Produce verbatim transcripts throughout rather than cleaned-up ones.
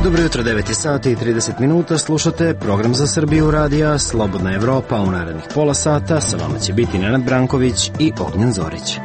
Dobro jutro, devet sati i trideset minuta, slušate program za Srbiju radija Slobodna Evropa. U narednih pola sata sa vama će biti Nenad Branković i Ognjen Zorić.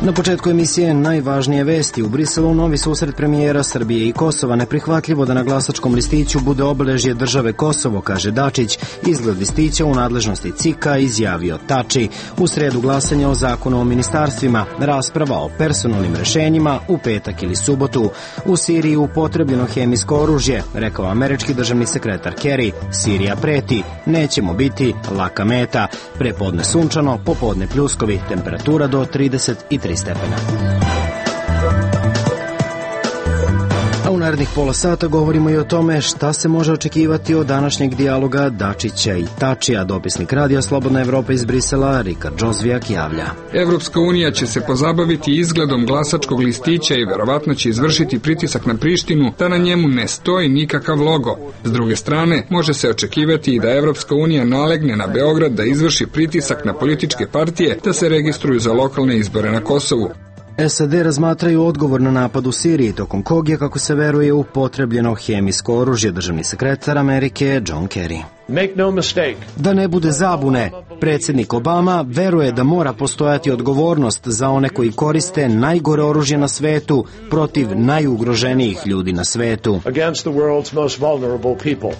Na početku emisije najvažnije vesti. U Briselu novi susret premijera Srbije i Kosova. Neprihvatljivo da na glasačkom listiću bude obeležje države Kosovo, kaže Dačić. Izgled listića u nadležnosti C I K-a izjavio Tači. U sredu glasanje o zakonu o ministarstvima. Rasprava o personalnim rešenjima u petak ili subotu. U Siriji upotrebljeno hemijsko oružje, rekao američki državni sekretar Kerry. Sirija preti, nećemo biti laka meta. Prepodne sunčano, popodne pljuskovi, temperatura do trideset tri stepena. A u narednih pola sata govorimo i o tome šta se može očekivati od današnjeg dijaloga Dačića i Tačija. Dopisnik radija Slobodna Evropa iz Brisela, Rikard Džozvijak, javlja. Evropska unija će se pozabaviti izgledom glasačkog listića i verovatno će izvršiti pritisak na Prištinu da na njemu ne stoji nikakav logo. S druge strane, može se očekivati i da Evropska unija nalegne na Beograd da izvrši pritisak na političke partije da se registruju za lokalne izbore na Kosovu. S A D razmatraju odgovor na napad u Siriji, tokom kog je, kako se veruje, upotrebljeno hemijsko oružje. Državni sekretar Amerike John Kerry. No mistake. Da ne bude zabune, predsjednik Obama veruje da mora postojati odgovornost za one koji koriste najgore oružje na svetu protiv najugroženijih ljudi na svetu. Against the world's most vulnerable people.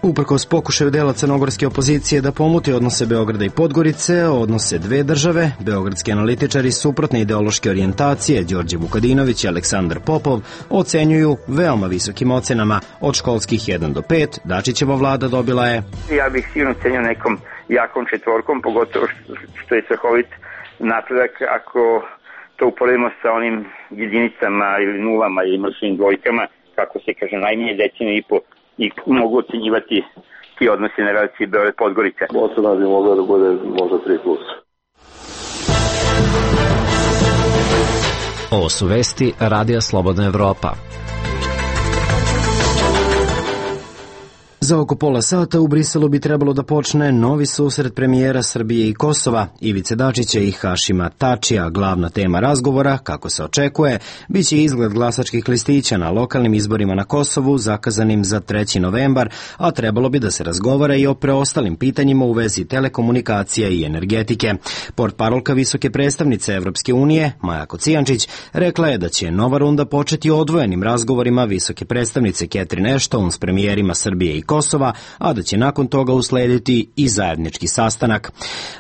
Uprkos pokušaju dela crnogorske opozicije da pomuti odnose Beograda i Podgorice, odnose dve države, beogradski analitičari suprotne ideološke orijentacije Đorđe Vukadinović i Aleksandar Popov ocenjuju veoma visokim ocenama. Od školskih jedan do pet, Dačićeva vlada dobila je... Ja bih sigurno cenio nekom jakom četvorkom, pogotovo što je strahovit napredak ako to uporedimo sa onim jedinicama ili nulama ili mršnim dvojkama, kako se kaže, najmanje deceniju i po, i mogu ocenjivati ti odnosi na relaciji Beograd-Podgorica. Ocena bi mogla da bude možda tri plus. Ovo su vesti Radija Slobodna Evropa. Za oko pola sata u Briselu bi trebalo da počne novi susret premijera Srbije i Kosova, Ivice Dačića i Hašima Tačija. Glavna tema razgovora, kako se očekuje, biće izgled glasačkih listića na lokalnim izborima na Kosovu, zakazanim za treći novembar, a trebalo bi da se razgovara i o preostalim pitanjima u vezi telekomunikacija i energetike. Portparolka visoke predstavnice Evropske unije, Maja Kocijančić, rekla je da će nova runda početi odvojenim razgovorima visoke predstavnice Catherine Ashton s premijerima Srbije i Kosova, a da će nakon toga uslediti i zajednički sastanak.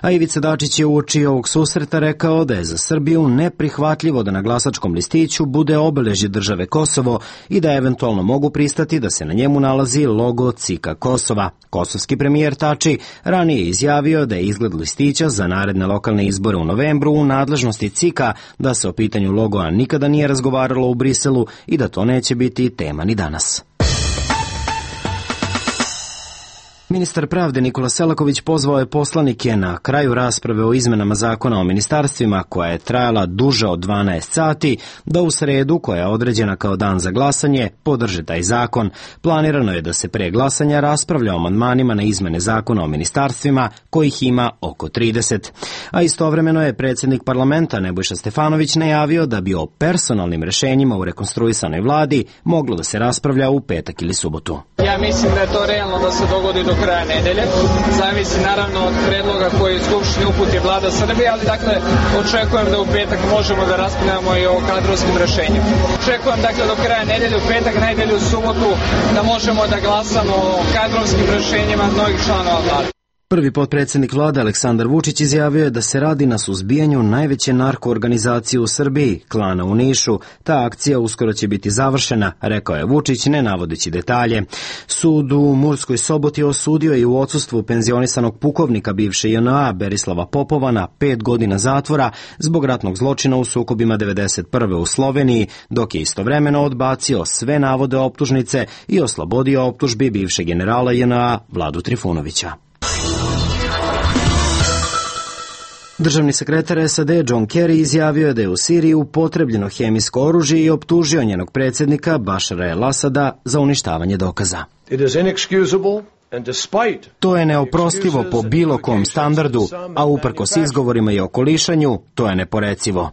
A Ivica Dačić je uoči ovog susreta rekao da je za Srbiju neprihvatljivo da na glasačkom listiću bude obeležje države Kosovo i da eventualno mogu pristati da se na njemu nalazi logo C I K-a Kosova. Kosovski premijer Tači ranije izjavio da je izgled listića za naredne lokalne izbore u novembru u nadležnosti C I K-a, da se o pitanju logoa nikada nije razgovaralo u Briselu i da to neće biti tema ni danas. Ministar pravde Nikola Selaković pozvao je poslanike na kraju rasprave o izmenama zakona o ministarstvima, koja je trajala duže od dvanaest sati, da u sredu, koja je određena kao dan za glasanje, podrže taj zakon. Planirano je da se pre glasanja raspravlja o amandmanima na izmene zakona o ministarstvima, kojih ima oko trideset. A istovremeno je predsjednik parlamenta Nebojša Stefanović najavio da bi o personalnim rešenjima u rekonstruisanoj vladi moglo da se raspravlja u petak ili subotu. Ja mislim da je to realno da se dogodi do kraja nedelje. Zavisi naravno od predloga koji Skupštini uputi vlada Srbije, ali dakle očekujem da u petak možemo da raspravljamo i o kadrovskim rešenjima. Očekujem dakle do kraja nedelje, u petak, nedelju, u subotu da možemo da glasamo o kadrovskim rešenjima mnogih članova vlade. Prvi potpredsjednik vlade Aleksandar Vučić izjavio je da se radi na suzbijanju najveće narkoorganizacije u Srbiji, klana u Nišu. Ta akcija uskoro će biti završena, rekao je Vučić, ne navodeći detalje. Sud u Murskoj Soboti osudio je u odsustvu penzionisanog pukovnika bivše J N A Berislava Popova na pet godina zatvora zbog ratnog zločina u sukobima devedeset prve u Sloveniji, dok je istovremeno odbacio sve navode optužnice i oslobodio optužbi bivšeg generala J N A Vladu Trifunovića. Državni sekretar S A D John Kerry izjavio je da je u Siriji upotrebljeno hemijsko oružje i optužio njenog predsjednika Bašara el-Asada za uništavanje dokaza. To je neoprostivo po bilo kom standardu, a uprkos izgovorima i okolišanju, to je neporecivo.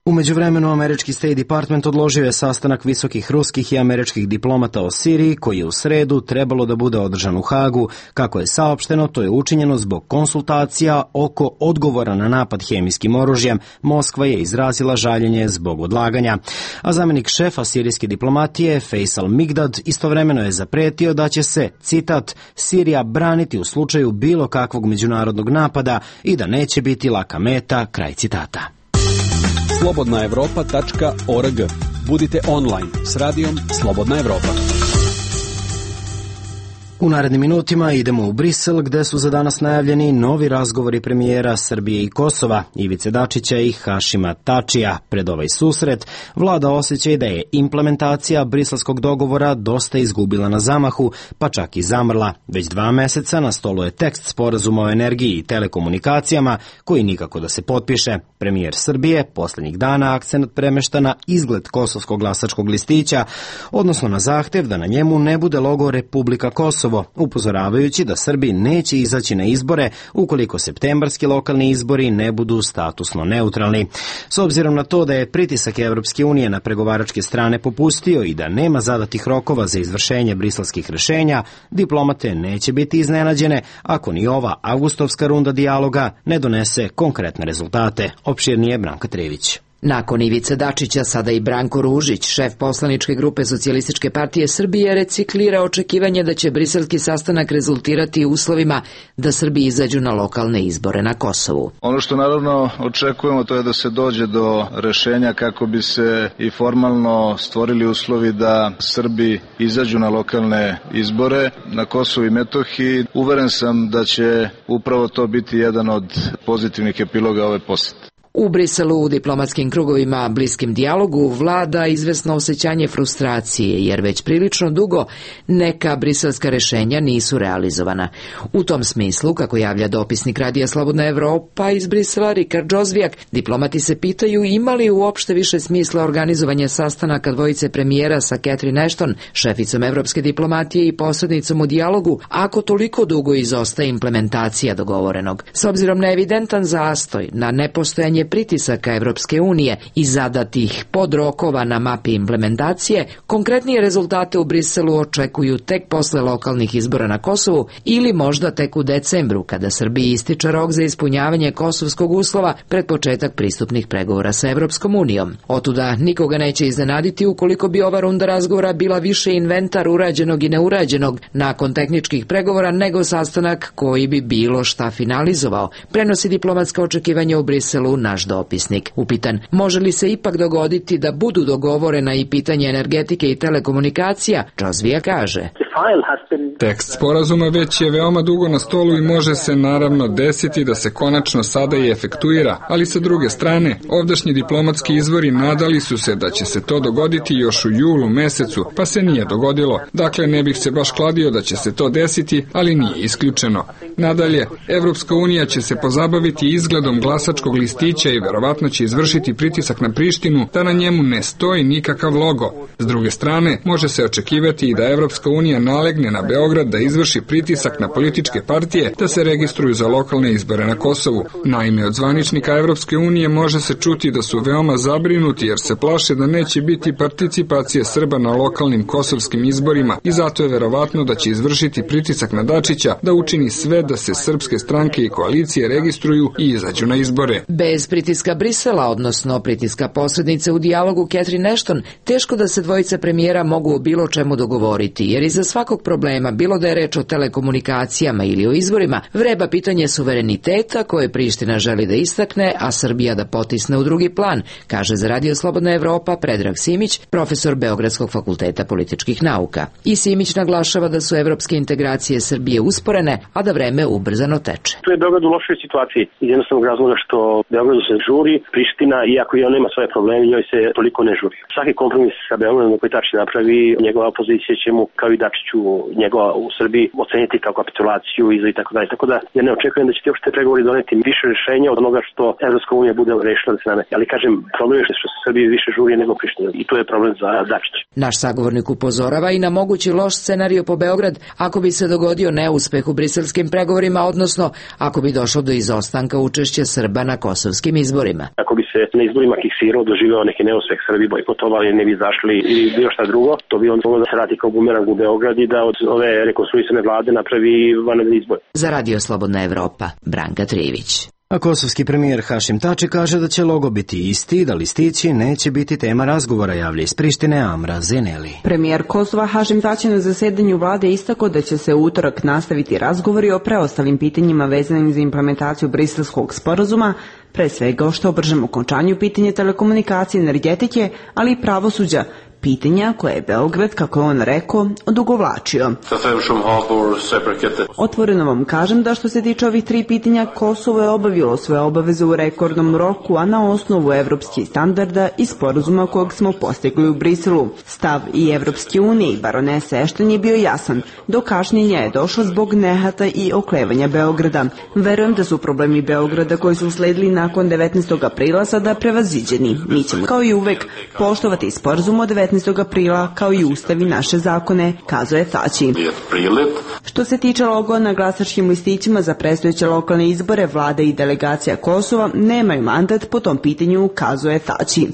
U međuvremenu, američki State Department odložio je sastanak visokih ruskih i američkih diplomata o Siriji, koji je u sredu trebalo da bude održan u Hagu. Kako je saopšteno, to je učinjeno zbog konsultacija oko odgovora na napad hemijskim oružjem. Moskva je izrazila žaljenje zbog odlaganja. A zamenik šefa sirijske diplomatije, Faisal Migdad, istovremeno je zapretio da će se, citat, Sirija braniti u slučaju bilo kakvog međunarodnog napada i da neće biti laka meta, kraj citata. slobodna evropa tačka org. Budite online s radijom Slobodna Evropa. U narednim minutima idemo u Brisel, gde su za danas najavljeni novi razgovori premijera Srbije i Kosova, Ivice Dačića i Hašima Tačija. Pred ovaj susret vlada osjećaj da je implementacija briselskog dogovora dosta izgubila na zamahu, pa čak i zamrla. Već dva meseca na stolu je tekst sporazuma o energiji i telekomunikacijama, koji nikako da se potpiše. Premijer Srbije poslednjih dana akcenat premešta na izgled kosovskog glasačkog listića, odnosno na zahtev da na njemu ne bude logo Republika Kosovo, upozoravajući da Srbi neće izaći na izbore ukoliko septembarski lokalni izbori ne budu statusno neutralni. S obzirom na to da je pritisak Evropske unije na pregovaračke strane popustio i da nema zadatih rokova za izvršenje briselskih rešenja, diplomate neće biti iznenađene ako ni ova avgustovska runda dijaloga ne donese konkretne rezultate. Opširnije Branka Trević. Nakon Ivice Dačića, sada i Branko Ružić, šef poslaničke grupe Socijalističke partije Srbije, reciklira očekivanje da će briselski sastanak rezultirati uslovima da Srbi izađu na lokalne izbore na Kosovu. Ono što naravno očekujemo, to je da se dođe do rešenja kako bi se i formalno stvorili uslovi da Srbi izađu na lokalne izbore na Kosovu i Metohiji. Uveren sam da će upravo to biti jedan od pozitivnih epiloga ove posete. U Briselu u diplomatskim krugovima bliskim dijalogu vlada izvesno osjećanje frustracije, jer već prilično dugo neka briselska rešenja nisu realizovana. U tom smislu, kako javlja dopisnik Radija Slobodna Evropa iz Brisela Rikard Džozvijak, diplomati se pitaju ima li uopšte više smisla organizovanje sastanaka dvojice premijera sa Catherine Ashton, šeficom evropske diplomatije i posrednicom u dijalogu, ako toliko dugo izostaje implementacija dogovorenog. S obzirom na evidentan zastoj, na nepostojanje pritisaka Evropske unije i zadatih podrokova na mapi implementacije, konkretnije rezultate u Briselu očekuju tek posle lokalnih izbora na Kosovu ili možda tek u decembru, kada Srbiji ističe rok za ispunjavanje kosovskog uslova pred početak pristupnih pregovora sa Evropskom unijom. Otuda nikoga neće iznenaditi ukoliko bi ova runda razgovora bila više inventar urađenog i neurađenog nakon tehničkih pregovora nego sastanak koji bi bilo šta finalizovao, prenosi diplomatska očekivanja u Briselu na naš dopisnik. Upitan, može li se ipak dogoditi da budu dogovorena i pitanje energetike i telekomunikacija, Džozvija kaže. Tekst sporazuma već je veoma dugo na stolu i može se naravno desiti da se konačno sada i efektuira, ali sa druge strane, ovdašnji diplomatski izvori nadali su se da će se to dogoditi još u julu mesecu, pa se nije dogodilo. Dakle, ne bih se baš kladio da će se to desiti, ali nije isključeno. Nadalje, Evropska unija će se pozabaviti izgledom glasačkog listića i verovatno će izvršiti pritisak na Prištinu da na njemu ne stoji nikakav logo. S druge strane, može se očekivati i da Evropska unija nalegne na Beograd da izvrši pritisak na političke partije da se registruju za lokalne izbore na Kosovu. Naime, od zvaničnika Evropske unije može se čuti da su veoma zabrinuti jer se plaše da neće biti participacije Srba na lokalnim kosovskim izborima i zato je verovatno da će izvršiti pritisak na Dačića da učini sve da se srpske stranke i koalicije registruju i izađu na izbore. Bez pritiska Brisela, odnosno pritiska posrednice u dijalogu Catherine Ashton, teško da se dvojica premijera mogu o bilo čemu dogovoriti, jer iza svakog problema, bilo da je reč o telekomunikacijama ili o izborima, vreba pitanje suvereniteta koje Priština želi da istakne, a Srbija da potisne u drugi plan, kaže za Radio Slobodna Evropa Predrag Simić, profesor Beogradskog fakulteta političkih nauka. I Simić naglašava da su evropske integracije Srbije usporene, a da vreme ubrzano teče. Tu je Beograd u lošoj situaciji iz jednostavnog razloga što Beogradu se žuri, Priština, iako i on nema svoje probleme, njoj se toliko ne žuri. Svaki kompromis sa Beogradom koji Tači napravi, njegova opozicija će mu, kao i Dačiću, njegova u Srbiji oceniti kao kapitulaciju i tako dalje. Tako da ja ne očekujem da će ti uopšte pregovori doneti više rješenja od onoga što Evropska unija bude rešila da se nameti. Ali kažem, problem je što se Srbiji više žuri nego Priština i to je problem za Dačića. Naš sagovornik upozorava i na mogući loš scenario po Beograd ako bi se dogodio neuspeh u briselskim pregovorima, odnosno ako bi došlo do izostanka učešća Srba na kosovskim izborima. Ako bi se na izborima kiksirao, doživeo neki neuspeh, Srbi bojkotovali, ne bi izašli ili bilo šta drugo, to bi on moglo da se radi kao bumerang u Beograd i da od ove rekonstruisane vlade napravi vanredni izbor. Za Radio Slobodna Evropa, Branka Trivić. A kosovski premijer Hašim Tači kaže da će logo biti isti i da listići neće biti tema razgovora, javlja iz Prištine Amra Zeneli. Premijer Kosova Hašim Tači na zasedanju vlade istakao da će se u utorak nastaviti razgovori o preostalim pitanjima vezanim za implementaciju Briselskog sporazuma, pre svega o što bržem okončanju pitanje telekomunikacije, energetike, ali i pravosuđa, pitanja koje je Beograd, kako je on rekao, odugovlačio. Otvoreno vam kažem da što se tiče ovih tri pitanja, Kosovo je obavilo svoje obaveze u rekordnom roku, a na osnovu evropskih standarda i sporazuma kojeg smo postigli u Briselu. Stav i Evropske unije i baronese Ešton je bio jasan. Do kašnjenja je došlo zbog nehata i oklevanja Beograda. Verujem da su problemi Beograda koji su usledili nakon devetnaestog aprila sada prevaziđeni. Mi ćemo, kao i uvek, poštovati sporazum od devetnaestog aprila kao i ustav i naše zakone, kazuje Tači. Što se tiče logo na glasačkim listićima za predstojeće lokalne izbore, vlada i delegacija Kosova nemaju mandat po tom pitanju, kazuje Tači.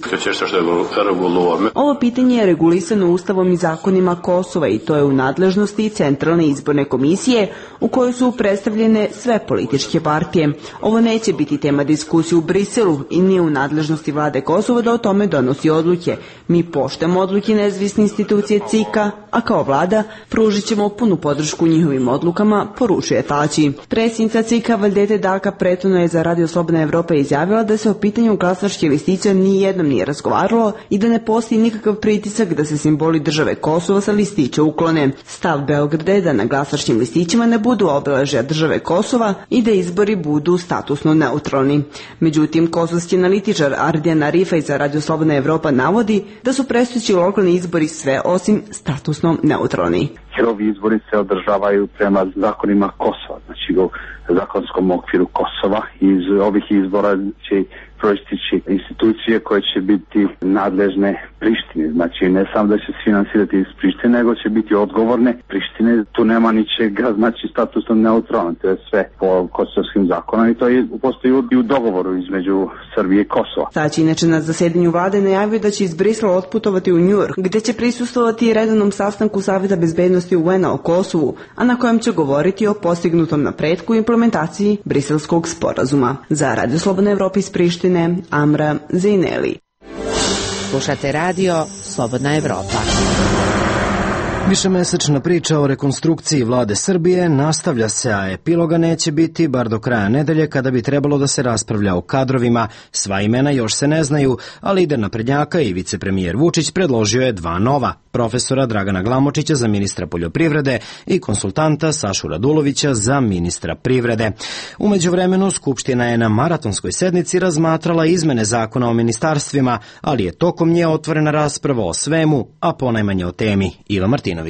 Ovo pitanje je regulisano ustavom i zakonima Kosova i to je u nadležnosti Centralne izborne komisije u kojoj su predstavljene sve političke partije. Ovo neće biti tema diskusije u Briselu i nije u nadležnosti vlade Kosova da o tome donosi odluke. Mi poštujemo odluke nezavisne institucije C I K-a, a kao vlada pružit ćemo punu podršku njihovim odlukama, poručuje Tači. Predsjednica C I K-a Valdete Daka prethodno je za Radio Slobodna Evropa izjavila da se o pitanju glasačkih listića nijednom nije razgovaralo i da ne postoji nikakav pritisak da se simboli države Kosovo sa listića uklone. Stav Beograda je da na glasačkim listićima ne budu obeležja države Kosova i da izbori budu statusno neutralni. Međutim, kosovski analitičar Ardijan Arifaj za Radio Slobodna Evropa navodi da su predstojeći lokalni izbori sve osim statusno neutralni. Jer ovi izbori se održavaju prema zakonima Kosova, znači u zakonskom okviru Kosova. Iz ovih izbora će proistići institucije koje će biti nadležne Prištine. Znači ne samo da će se finansirati iz Prištine, nego će biti odgovorne Prištine. Tu nema ničega, znači statusno neutralno, to je sve po kosovskim zakonom i to je postoji i u dogovoru između Srbije i Kosova. Tači inače na zasedanju vlade najavio da će iz Brisela otputovati u Njujork, gde će prisustvovati redovnom sastanku Saveta bezbednosti U N-a o Kosovu, a na kojem će govoriti o postignutom napretku i implementaciji Briselskog sporazuma. Za Radio Slobodna Evropa iz Prištine, Amra Zeneli. Slušate radio Slobodna Evropa. Višemesečna priča o rekonstrukciji vlade Srbije nastavlja se, a epiloga neće biti bar do kraja nedelje kada bi trebalo da se raspravlja o kadrovima. Sva imena još se ne znaju, a lider naprednjaka i vicepremijer Vučić predložio je dva nova, profesora Dragana Glamočića za ministra poljoprivrede i konsultanta Sašu Radulovića za ministra privrede. U međuvremenu Skupština je na maratonskoj sednici razmatrala izmene zakona o ministarstvima, ali je tokom nje otvorena rasprava o svemu, a ponajmanje o temi. Iva Martinović.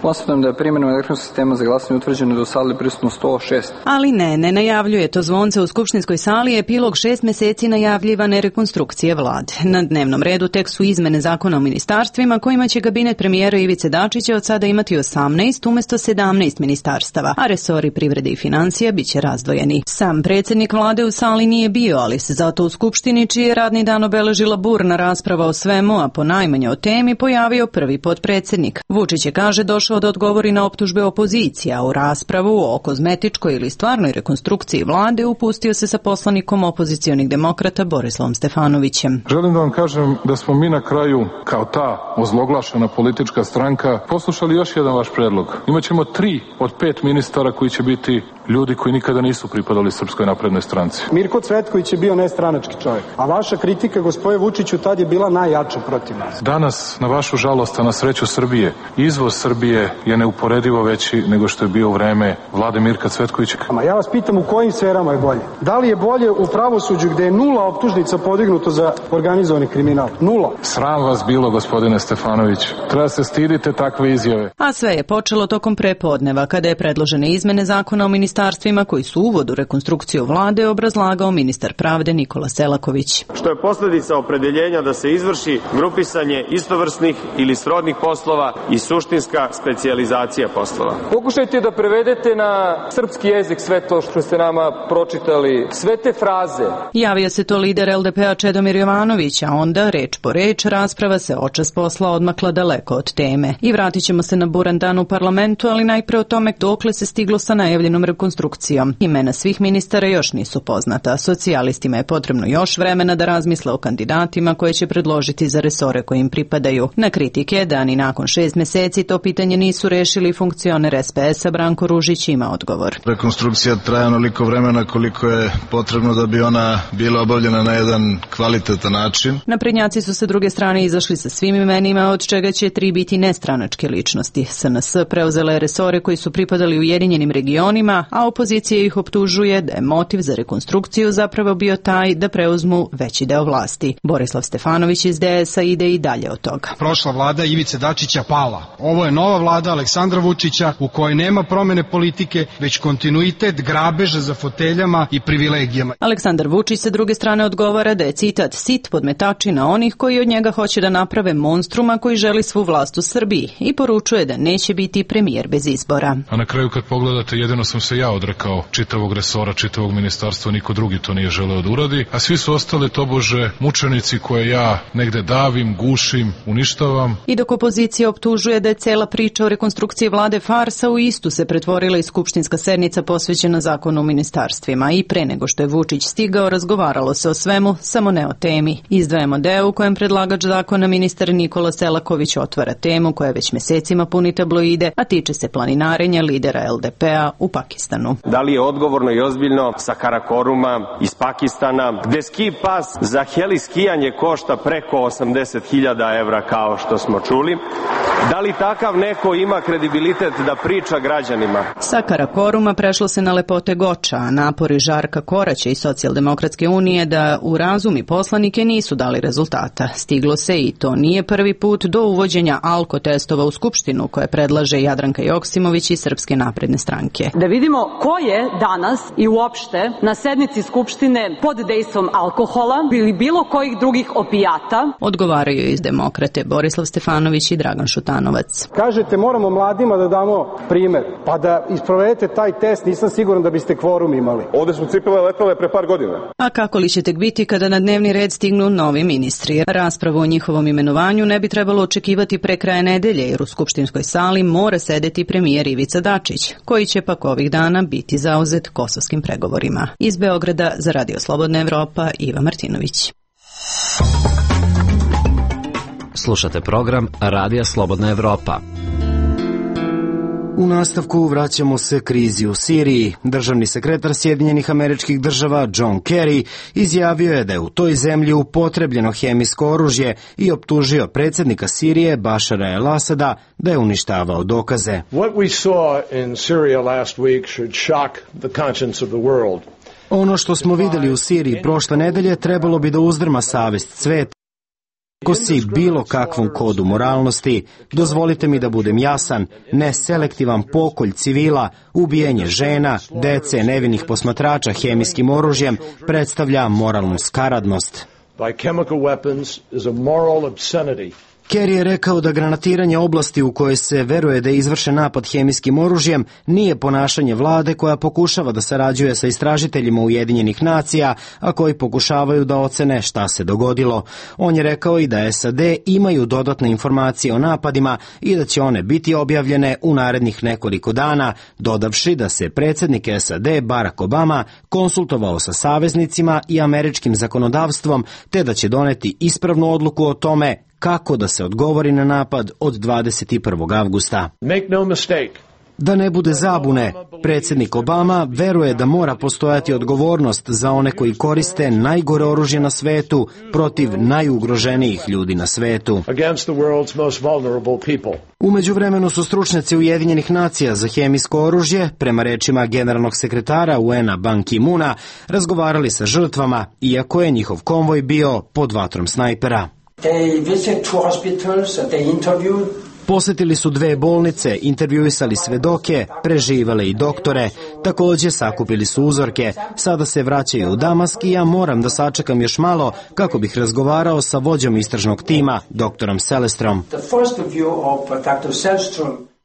Konstatujem da je primjenom elektronskog sistema za glasanje utvrđeno da u sali prisutno sto šest. Ali ne, ne najavljuje to zvonce u skupštinskoj sali, epilog šest meseci najavljivane rekonstrukcije vlade. Na dnevnom redu tek su izmene zakona o ministarstvima kojima će kabinet premijera Ivice Dačića od sada imati osamnaest umesto sedamnaest ministarstava, a resori privrede i financija biće razdvojeni. Sam predsjednik vlade u sali nije bio, ali se zato u skupštini, čiji je radni dan obeležila burna rasprava o svemu, a ponajmanje o temi, pojavio prvi potpredsjednik. Vučić je, kaže, došao da odgovori na optužbe opozicije, a u raspravu o kozmetičkoj ili stvarnoj rekonstrukciji vlade upustio se sa poslanikom opozicionih demokrata Borislavom Stefanovićem. Želim da vam kažem da smo mi na kraju, kao ta ozloglašena politička stranka, poslušali još jedan vaš predlog. Imaćemo tri od pet ministara koji će biti ljudi koji nikada nisu pripadali Srpskoj naprednoj stranci. Mirko Cvetković je bio nestranački čovjek, a vaša kritika, gospodine Vučiću, tad je bila najjača protiv nas. Danas, na vašu žalost, a na sreću Srbije, izvoz Srbije je neuporedivo veći nego što je bio u vreme vlade Mirka Cvetkovića. Ja vas pitam u kojim sferama je bolje? Da li je bolje u pravosuđu gde je nula optužnica podignuto za organizovani kriminal? Nula. Sram vas bilo, gospodine Stefanović. Treba se stidite takve izjave. A sve je počelo tokom prepodneva, kada je predložene izmene zakona o ministarstvima koji su uvod u rekonstrukciju vlade obrazlagao ministar pravde Nikola Selaković. Što je posljedica opredeljenja da se izvrši grupisanje istovrsnih ili srodnih poslova i suštinska specijalizacija poslova. Pokušajte da prevedete na srpski jezik sve to što ste nama pročitali, sve te fraze. Javio se to lider el de pe a Čedomir Jovanović, a onda, reč po reč, rasprava se očas posla odmakla daleko od teme. I vratit ćemo se na buran dan u parlamentu, ali najpre o tome dokle se stiglo sa najavljenom rekonstrukcijom. Imena svih ministara još nisu poznata. Socijalistima je potrebno još vremena da razmisle o kandidatima koje će predložiti za resore koje im pripadaju. Na kritike da ni nakon šest meseci to pitanje nisu rešili, funkcioner es pe es a Branko Ružić ima odgovor. Rekonstrukcija traje onoliko vremena koliko je potrebno da bi ona bila obavljena na jedan kvalitetan način. Naprednjaci su sa druge strane izašli sa svim imenima, od čega će tri biti nestranačke ličnosti. es en es preuzela je resore koji su pripadali Ujedinjenim regionima, a opozicija ih optužuje da je motiv za rekonstrukciju zapravo bio taj da preuzmu veći deo vlasti. Borislav Stefanović iz de es a ide i dalje od toga. Prošla vlada Ivice Dačića pala. Ovo je nova vlada Aleksandra Vučića u kojoj nema promene politike, već kontinuitet grabeža za foteljama i privilegijama. Aleksandar Vučić sa druge strane odgovara da je, citat, sit podmetačina onih koji od njega hoće da naprave monstruma koji želi svu vlast u Srbiji i poručuje da neće biti premijer bez izbora. A na kraju kad pogledate, jedino sam se ja odrekao čitavog resora, čitavog ministarstva, niko drugi to nije želeo da uradi, a svi su ostali tobože mučenici koje ja negde davim, gušim, uništavam. I dok opozicija optužuje da je cela priča o rekonstrukciji vlade farsa, u istu se pretvorila i skupštinska sednica posvećena zakonu o ministarstvima i pre nego što je Vučić stigao, razgovaralo se o svemu, samo ne o temi. Izdvajamo deo u kojem predlagač zakona ministar Nikola Selaković otvara temu koja već mesecima puni tabloide, a tiče se planinarenja lidera el de pe a u Pakistanu. Da li je odgovorno i ozbiljno sa Karakoruma iz Pakistana, gde ski pas za heli skijanje košta preko osamdeset hiljada evra kao što smo čuli? Da li takav neko ima kredibilitet da priča građanima? Sa Karakoruma prešlo se na lepote Goča, a napori Žarka Koraća i Socijaldemokratske unije da urazumi poslanike nisu dali rezultata. Stiglo se, i to nije prvi put, do uvođenja alkotestova u Skupštinu koje predlaže Jadranka Joksimović iz Srpske napredne stranke. Da vidimo ko je danas i uopšte na sednici Skupštine pod dejstvom alkohola ili bilo kojih drugih opijata. Odgovaraju iz Demokrate Borislav Stefanović i Dragan Šutanovac. Kažete moramo mladima da damo primer, pa da isprovedete taj test, nisam siguran da biste kvorum imali. Ovde su cipele letale pre par godina. A kako li će tek biti kada na dnevni red stignu novi ministri? Raspravu o njihovom imenovanju ne bi trebalo očekivati pre kraja nedelje, jer u skupštinskoj sali mora sedeti premijer Ivica Dačić, koji će pak ovih dana biti zauzet kosovskim pregovorima. Iz Beograda za Radio Slobodna Evropa, Iva Martinović. Slušate program Radija Slobodna Evropa. U nastavku vraćamo se krizi u Siriji. Državni sekretar Sjedinjenih Američkih Država John Kerry izjavio je da je u toj zemlji upotrebljeno hemijsko oružje i optužio predsjednika Sirije Bašara el-Asada da je uništavao dokaze. What we saw in Syria last week should shock the conscience of the world. Ono što smo vidjeli u Siriji prošle nedelje trebalo bi da uzdrma savest sveta. Ko si bilo kakvom kodu moralnosti, dozvolite mi da budem jasan, neselektivan pokolj civila, ubijanje žena, dece, nevinih posmatrača hemijskim oružjem predstavlja moralnu skaradnost. By chemical weapons is a moral obscenity. Kerry je rekao da granatiranje oblasti u kojoj se veruje da je izvršen napad hemijskim oružjem nije ponašanje vlade koja pokušava da sarađuje sa istražiteljima Ujedinjenih nacija, a koji pokušavaju da ocene šta se dogodilo. On je rekao i da es a de imaju dodatne informacije o napadima i da će one biti objavljene u narednih nekoliko dana, dodavši da se predsjednik es a de Barack Obama konsultovao sa saveznicima i američkim zakonodavstvom, te da će doneti ispravnu odluku o tome kako da se odgovori na napad od dvadeset prvog avgusta. Make no mistake, Da ne bude zabune, predsjednik Obama veruje da mora postojati odgovornost za one koji koriste najgore oružje na svetu protiv najugroženijih ljudi na svetu. U međuvremenu su stručnjaci Ujedinjenih nacija za hemijsko oružje, prema rečima generalnog sekretara U N-a Ban Ki-moona, razgovarali sa žrtvama, iako je njihov konvoj bio pod vatrom snajpera. Posjetili su dve bolnice, intervjuisali svedoke, preživale i doktore, također sakupili su uzorke. Sada se vraćaju u Damask i ja moram da sačekam još malo kako bih razgovarao sa vođom istražnog tima, doktorom Selestrom.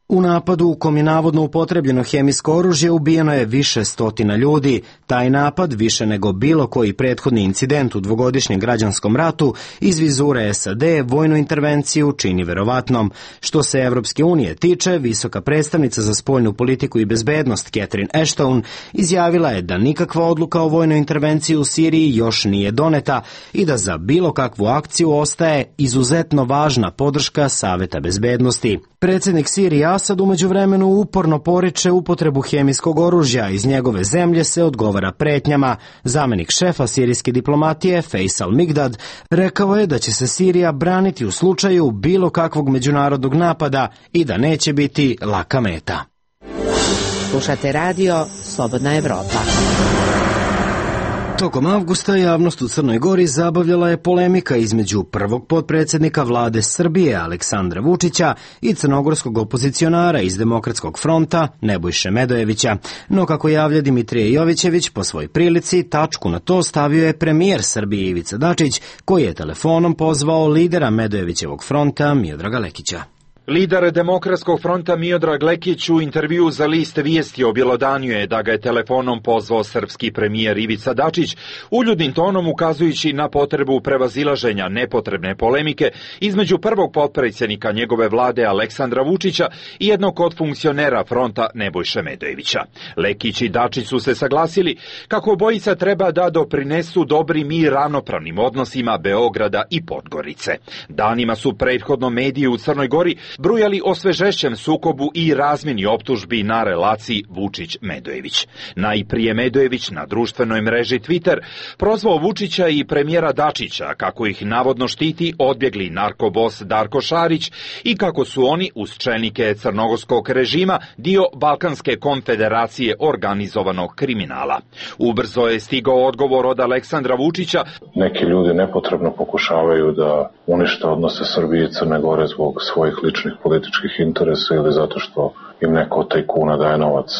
U napadu u kom je navodno upotrebljeno hemijsko oružje ubijeno je više stotina ljudi. Taj napad, više nego bilo koji prethodni incident u dvogodišnjem građanskom ratu, iz vizure S A D vojnu intervenciju čini verovatnom. Što se Evropske unije tiče, visoka predstavnica za spoljnu politiku i bezbednost Catherine Ashton izjavila je da nikakva odluka o vojnoj intervenciji u Siriji još nije doneta i da za bilo kakvu akciju ostaje izuzetno važna podrška Saveta bezbednosti. Predsjednik Sirije Asad u međuvremenu uporno poriče upotrebu hemijskog oružja, iz njegove zemlje se odgovara pretnjama. Zamenik šefa sirijske diplomatije Faisal Migdad rekao je da će se Sirija braniti u slučaju bilo kakvog međunarodnog napada i da neće biti laka meta. Slušate radio Slobodna Evropa. Tokom avgusta javnost u Crnoj Gori zabavljala je polemika između prvog potpredsjednika vlade Srbije Aleksandra Vučića i crnogorskog opozicionara iz Demokratskog fronta Nebojše Medojevića. No kako javlja Dimitrije Jovićević, po svoj prilici tačku na to stavio je premijer Srbije Ivica Dačić, koji je telefonom pozvao lidera Medojevićevog fronta Miodraga Lekića. Lider Demokratskog fronta Miodrag Lekić u intervju za list Vijesti objelodanjuje da ga je telefonom pozvao srpski premijer Ivica Dačić, uljudnim tonom ukazujući na potrebu prevazilaženja nepotrebne polemike između prvog potpredsjednika njegove vlade Aleksandra Vučića i jednog od funkcionera fronta Nebojše Medojevića. Lekić i Dačić su se saglasili kako obojica treba da doprinesu dobrim i ravnopravnim odnosima Beograda i Podgorice. Danima su prethodno mediji u Crnoj Gori brujali o svežešćem sukobu i razmjeni optužbi na relaciji Vučić-Medojević. Najprije Medojević na društvenoj mreži Twitter prozvao Vučića i premijera Dačića kako ih navodno štiti odbjegli narkobos Darko Šarić i kako su oni uz čelnike crnogorskog režima dio Balkanske konfederacije organizovanog kriminala. Ubrzo je stigao odgovor od Aleksandra Vučića. Neki ljudi nepotrebno pokušavaju da unište odnose Srbije i Crne Gore zbog svojih ličnih političkih interesa ili zato što im neko od tajkuna daje novac.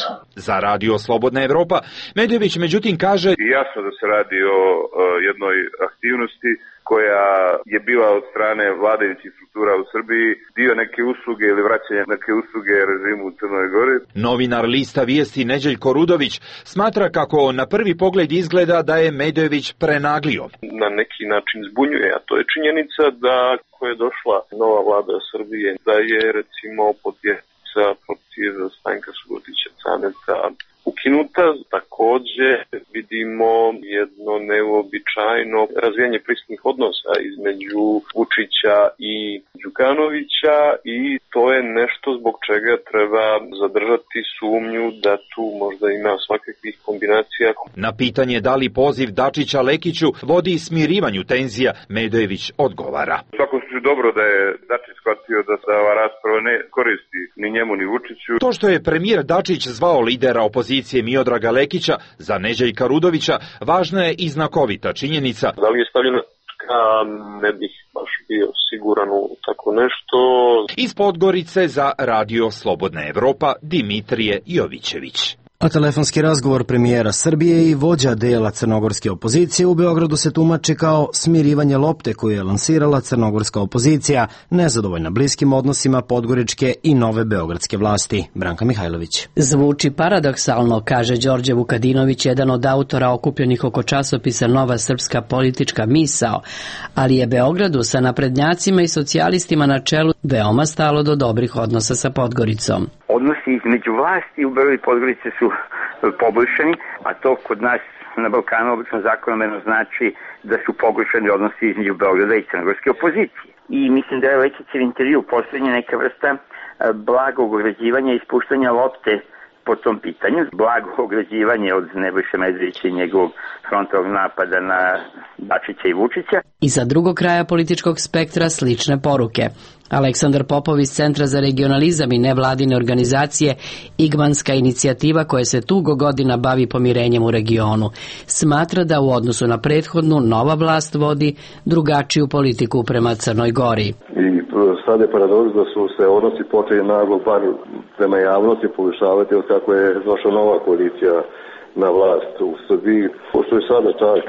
Za radio Slobodna Evropa, Medojević međutim kaže: jasno da se radi o uh, jednoj aktivnosti koja je bila od strane vladajućih struktura u Srbiji dio neke usluge ili vraćanja neke usluge režimu u Crnoj Gori. Novinar lista Vijesti Neđeljko Rudović smatra kako na prvi pogled izgleda da je Medojević prenaglio. Na neki način zbunjuje, a to je činjenica da ko je došla nova vlada Srbije, da je recimo podjeca protiv Stanka Subotića Caneta ukinuta. Takođe vidimo jedno neuobičajeno razvijanje prisutnih odnosa između Vučića i Đukanovića i to je nešto zbog čega treba zadržati sumnju da tu možda ima svakakvih kombinacija. Na pitanje da li poziv Dačića Lekiću vodi smirivanju tenzija, Medojević odgovara: u svakom slučaju dobro da je Dačić shvatio da se ova rasprava ne koristi ni njemu ni Vučiću. To što je premijer Dačić zvao lidera opozicije Miodraga Lekića za Neđeljka Rudovića važna je i znakovita činjenica. Da li je stavljena tačka, ne bih baš bio siguran u tako nešto. Iz Podgorice za radio Slobodna Evropa, Dimitrije Jovićević. A telefonski razgovor premijera Srbije i vođa dela crnogorske opozicije u Beogradu se tumači kao smirivanje lopte koju je lansirala crnogorska opozicija, nezadovoljna bliskim odnosima podgoričke i nove beogradske vlasti. Branka Mihajlović. Zvuči paradoksalno, kaže Đorđe Vukadinović, jedan od autora okupljenih oko časopisa Nova srpska politička misao, ali je Beogradu sa naprednjacima i socijalistima na čelu veoma stalo do dobrih odnosa sa Podgoricom. Odnosi između vlasti u Beogradu i Podgorice su poboljšani, a to kod nas na Balkanu obično zakonomjerno znači da su poboljšani odnosi između Beograda i crnogorske opozicije. I mislim da je Lekićev intervju poslednja neka vrsta blagog ograđivanja i ispuštanja lopte po tom pitanju. Blago ograđivanje od Nebojše Medvedevića i njegovog frontalnog napada na Dačića i Vučića. I za drugog kraja političkog spektra slične poruke. Aleksandar Popov iz Centra za regionalizam i nevladine organizacije Igmanska inicijativa koja se dugo godina bavi pomirenjem u regionu, smatra da u odnosu na prethodnu nova vlast vodi drugačiju politiku prema Crnoj Gori. I sad je paradoks da su se odnosi počeli naglo bar prema javnosti povišavati od kako je došla nova koalicija na vlast u Srbiji. Pošto je sada čak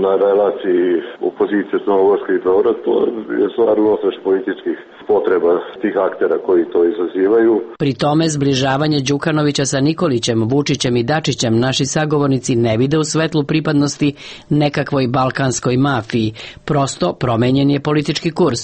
na relaciji opozicije Crnogorske i Beograd, to je stvar unosveš političkih potreba tih aktera koji to izazivaju. Pri tome zbližavanje Đukanovića sa Nikolićem, Vučićem i Dačićem naši sagovornici ne vide u svetlu pripadnosti nekakvoj balkanskoj mafiji. Prosto promenjen je politički kurs.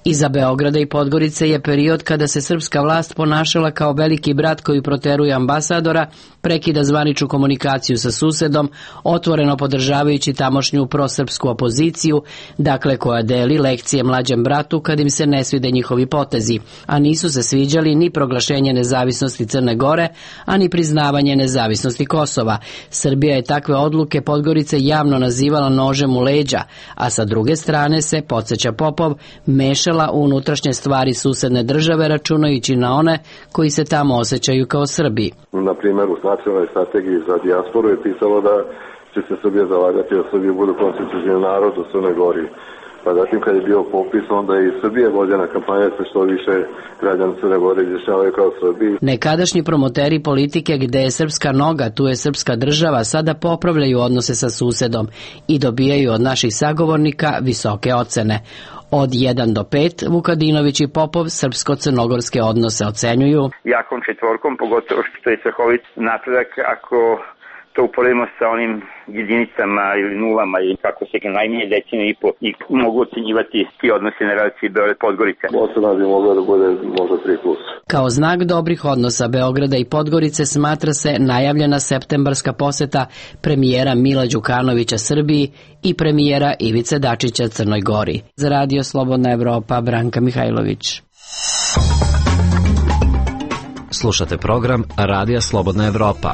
Iza Beograda i Podgorice je period kada se srpska vlast ponašala kao veliki brat koji proteruje ambasadora, prekida zvaničnu komunikaciju sa susedom, otvoreno podržavajući tamošnju prosrpsku opoziciju, dakle koja deli lekcije mlađem bratu kad im se ne svide njihovi potezi, a nisu se sviđali ni proglašenje nezavisnosti Crne Gore, a ni priznavanje nezavisnosti Kosova. Srbija je takve odluke Podgorice javno nazivala nožem u leđa, a sa druge strane se, podsjeća Popov, mešala u unutrašnje stvari susedne države računajući na one koji se tamo osjećaju kao Srbi. Na primjer, u nacionalnoj strategiji za dijasporu je pisalo da će se Srbija zalagati da Srbija bude konstitutivni narod u Crnoj Gori. Pa zatim kad je bio popis, onda i Srbije vođena kampanja se što više građana Crne Gore izjašnjavaju kao Srbiji. Nekadašnji promoteri politike gde je srpska noga, tu je srpska država, sada popravljaju odnose sa susedom i dobijaju od naših sagovornika visoke ocene. Od jedan do pet Vukadinović i Popov srpsko-crnogorske odnose ocenjuju jakom četvorkom, pogotovo što je strahovit napredak ako to uporedimo sa onim jedinicama ili nulama i kako se najmanje deceniju i po i mogu ocenjivati ti odnosi na relaciji Beograd-Podgorica. Ocena bi mogla da bude možda tri plus. Kao znak dobrih odnosa Beograda i Podgorice smatra se najavljena septembarska poseta premijera Mila Đukanovića Srbiji i premijera Ivice Dačića Crnoj Gori. Za Radio Slobodna Evropa, Branka Mihajlović. Slušate program Radija Slobodna Evropa.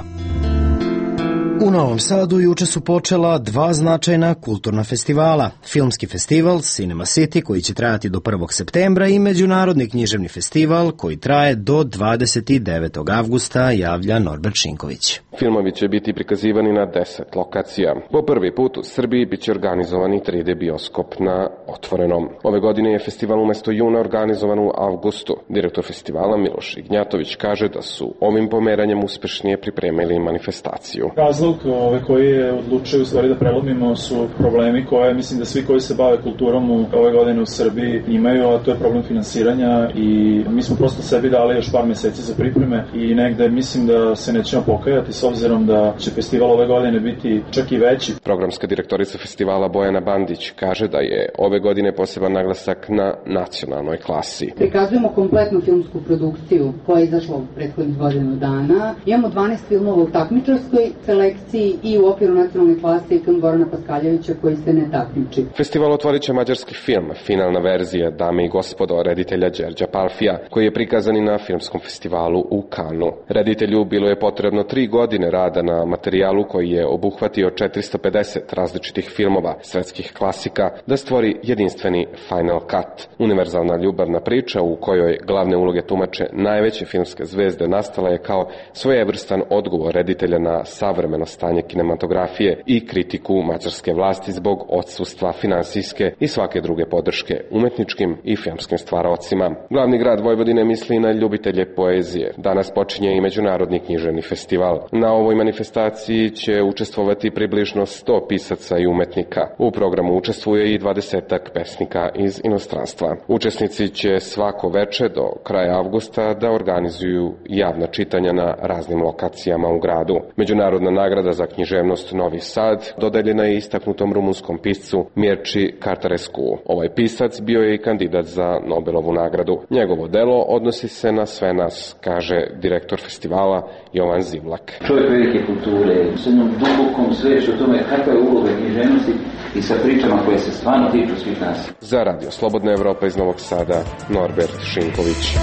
U Novom Sadu juče su počela dva značajna kulturna festivala. Filmski festival Cinema City koji će trajati do prvog septembra i Međunarodni književni festival koji traje do dvadeset devetog avgusta, javlja Norbert Šinković. Filmovi će biti prikazivani na deset lokacija. Po prvi put u Srbiji biće organizovani tri D bioskop na otvorenom. Ove godine je festival umesto juna organizovan u avgustu. Direktor festivala Miloš Ignjatović kaže da su ovim pomeranjem uspešnije pripremili manifestaciju. Razlog ove koji je odlučio u stvari da prelomimo su problemi koje mislim da svi koji se bave kulturom u ove godine u Srbiji imaju, a to je problem finansiranja i mi smo prosto sebi dali još par meseci za pripreme i negde mislim da se nećemo pokajati s obzirom da će festival ove godine biti čak i veći. Programska direktorica festivala Bojana Bandić kaže da je ove godine poseban naglasak na nacionalnoj klasi. Prikazujemo kompletnu filmsku produkciju koja je izašla u prethodnih godinu dana. Imamo dvanaest filmova u takmičarskoj selekciji i u okviru nacionalne klase i film Gorana Paskaljevića koji se ne takmiči. Festival otvorit će mađarski film, finalna verzija Dame i gospodo reditelja Đerđa Palfija, koji je prikazan i na filmskom festivalu u Kanu. Reditelju bilo je potrebno tri godine rada na materijalu koji je obuhvatio četiristo pedeset različitih filmova svetskih klasika da stvori jedinstveni Final Cut. Univerzalna ljubavna priča u kojoj glavne uloge tumače najveće filmske zvezde nastala je kao svojevrstan odgovor reditelja na savremeno stanje kinematografije i kritiku mađarske vlasti zbog odsustva finansijske i svake druge podrške umetničkim i filmskim stvaraocima. Glavni grad Vojvodine misli na ljubitelje poezije. Danas počinje i Međunarodni književni festival. Na ovoj manifestaciji će učestvovati približno sto pisaca i umetnika. U programu učestvuje i dvadesetak pesnika iz inostranstva. Učesnici će svako veče do kraja avgusta da organizuju javna čitanja na raznim lokacijama u gradu. Međunarodna nagrada za književnost Novi Sad dodeljena je istaknutom rumunskom piscu Mirči Cartarescu. Ovaj pisac bio je i kandidat za Nobelovu nagradu. Njegovo delo odnosi se na sve nas, kaže direktor festivala Jovan Zivlak. Čovjek velike kulture, s jednom dubokom svešću o tome kakva je uloga književnosti i sa pričama koje se stvarno tiču svih nas. Za Radio Slobodna Evropa iz Novog Sada, Norbert Šinković.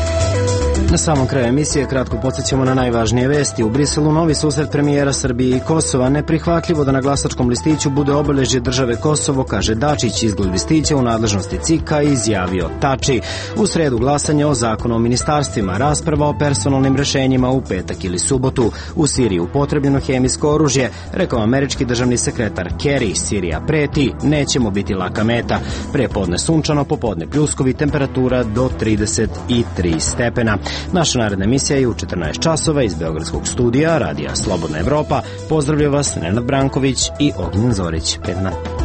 Na samom kraju emisije kratko podsjećamo na najvažnije vesti. U Briselu novi susret premijera Srbije i Kosova. Neprihvatljivo da na glasačkom listiću bude obeležje države Kosovo, kaže Dačić. Izgled listića u nadležnosti C I K-a izjavio Tači. U sredu glasanje o zakonu o ministarstvima, rasprava o personalnim rešenjima u petak ili subotu. U Siriji upotrebljeno hemijsko oružje, rekao američki državni sekretar Kerry. Sirija preti, nećemo biti laka meta. Prepodne sunčano, popodne pljuskovi, temperatura do trideset tri stepena. Naša naredna emisija je u četrnaest časova iz Beogradskog studija Radija Slobodna Evropa. Pozdravlja vas Nenad Branković i Ognjen Zorić. Pred nama.